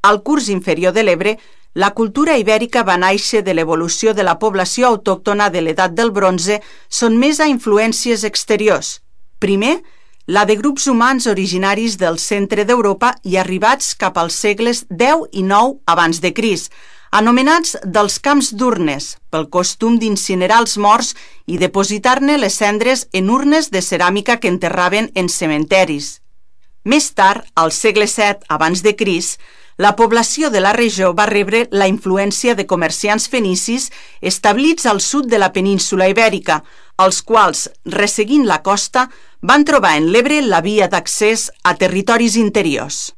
Al curs inferior de l'Ebre, la cultura ibèrica va néixer de l'evolució de la població autòctona de l'edat del bronze sotmesa a influències exteriors. Primer, la de grups humans originaris del centre d'Europa i arribats cap als segles X i IX abans de Crist, anomenats dels camps d'urnes, pel costum d'incinerar els morts i depositar-ne les cendres en urnes de ceràmica que enterraven en cementeris. Més tard, al segle VII abans de Crist, la població de la regió va rebre la influència de comerciants fenicis establits al sud de la península ibèrica, els quals, resseguint la costa, van trobar en l'Ebre la via d'accés a territoris interiors.